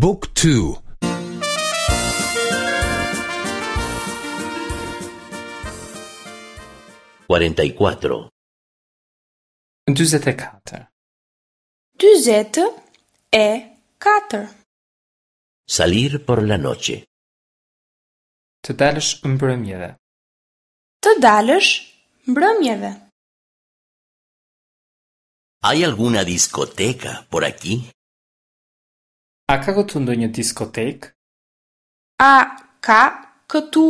บุ๊กทู 44. 44. 44. Salir por la noche. Të dalësh mbrëmjeve. Të dalësh mbrëmjeve. ¿Hay alguna discoteca por aquí? A ka këtu ndonjë diskotekë? A ka këtu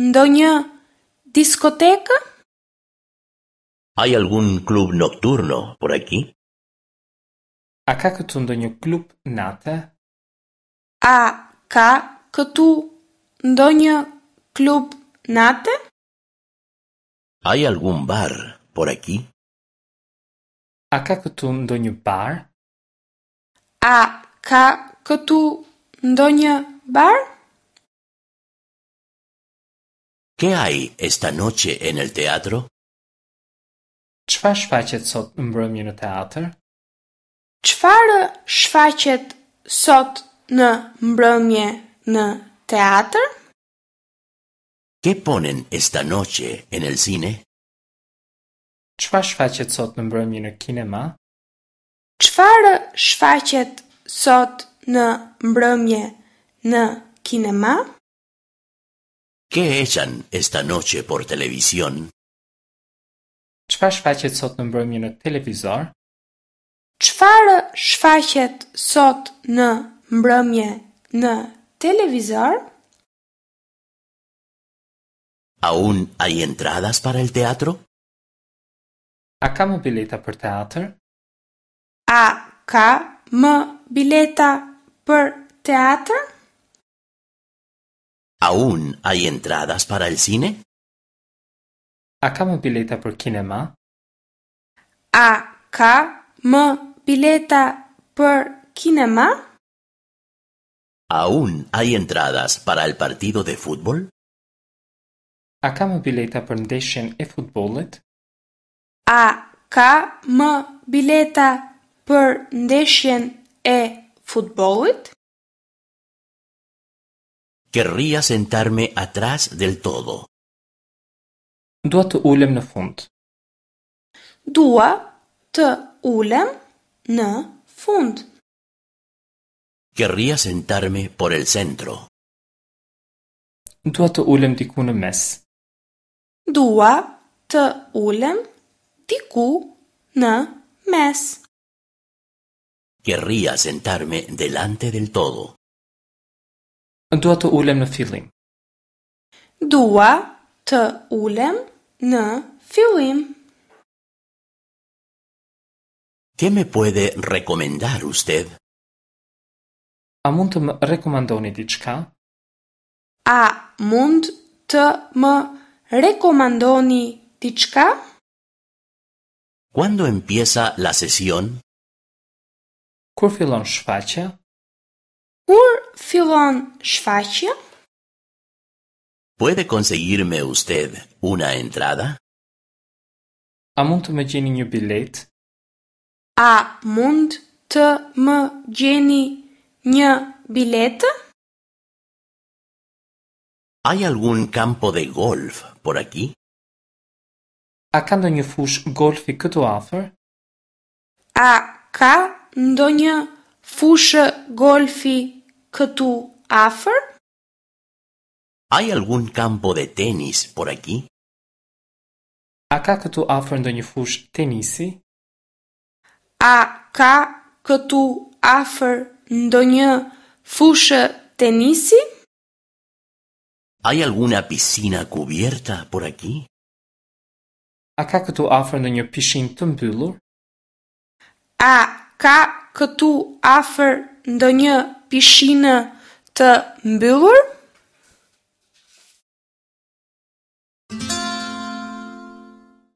ndonjë diskotekë? ¿Hay algún club nocturno por aquí? A ka këtu ndonjë klub nate? A ka këtu ndonjë klub nate? ¿Hay algún bar por aquí? A ka këtu ndonjë bar? A ka këtu ndonjë bar? ¿Qué hay esta noche en el teatro? Çfarë shfaqet sot në mbrëmje në teatr? Çfarë shfaqet sot në mbrëmje në teatr? ¿Qué ponen esta noche en el cine? Çfarë shfaqet sot në mbrëmje në kinema? Çfarë shfaqet sot në mbrëmje në kinema? ¿Qué echan esta noche por televisión? Çfarë shfaqet sot në mbrëmje në televizor? Çfarë shfaqet sot në mbrëmje në televizor? ¿Aún hay entradas para el teatro? A ka më bileta për teatr? A ka më bileta për teatr? ¿Aún hay entradas para el cine? A ka më bileta për kinema? A ka më bileta për kinema? ¿Aún hay entradas para el partido de fútbol? A ka më bileta për ndeshjen e futbollit? A ka më bileta për ndeshjen e futbollit? Querría sentarme atrás del todo. Dua të ulem në fund. Dua të ulem në fund. Querría sentarme por el centro. Dua të ulem diku në mes. Dua të ulem diku në mes. Querría sentarme delante del todo. Dua të ulem në fillim. Dua të ulem në fillim. ¿Qué me puede recomendar usted? A mund të më rekomandoni diçka? A mund të më rekomandoni diçka? ¿Cuándo empieza la sesión? Kur fillon shfaqja? Kur fillon shfaqja? ¿Puede conseguirme usted una entrada? A mund të më gjeni një bilet? A mund të më gjeni një biletë? ¿Hay algún campo de golf por aquí? A ka ndonjë fushë golfi këtu afër? A ka ndonjë fushë golfi këtu afër? ¿Hay algún campo de tenis por aquí? A ka këtu afër ndonjë fushë tenisi? A ka këtu afër ndonjë fushë tenisi? ¿Hay alguna piscina cubierta por aquí? A ka këtu afër ndonjë pishinë të mbyllur? A ka këtu afër ndonjë pishinë të mbyllur?